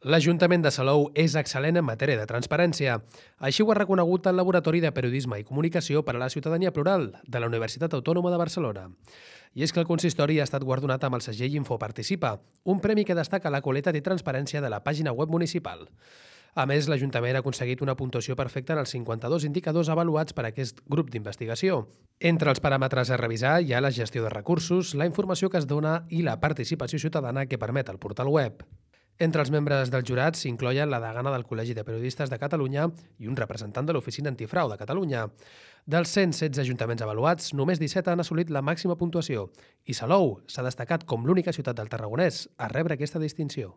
L'Ajuntament de Salou és excel·lent en matèria de transparència. Així ho ha reconegut el Laboratori de Periodisme i Comunicació per a la Ciutadania Plural de la Universitat Autònoma de Barcelona. I és que el consistori ha estat guardonat amb el segell Infoparticipa, un premi que destaca la qualitat i transparència de la pàgina web municipal. A més, l'Ajuntament ha aconseguit una puntuació perfecta en els 52 indicadors avaluats per aquest grup d'investigació. Entre els paràmetres a revisar hi ha la gestió de recursos, la informació que es dona i la participació ciutadana que permet el portal web. Entre els membres del jurat s'incloien la degana del Col·legi de Periodistes de Catalunya i un representant de l'Oficina Antifrau de Catalunya. Dels 116 ajuntaments avaluats, només 17 han assolit la màxima puntuació i Salou s'ha destacat com l'única ciutat del Tarragonès a rebre aquesta distinció.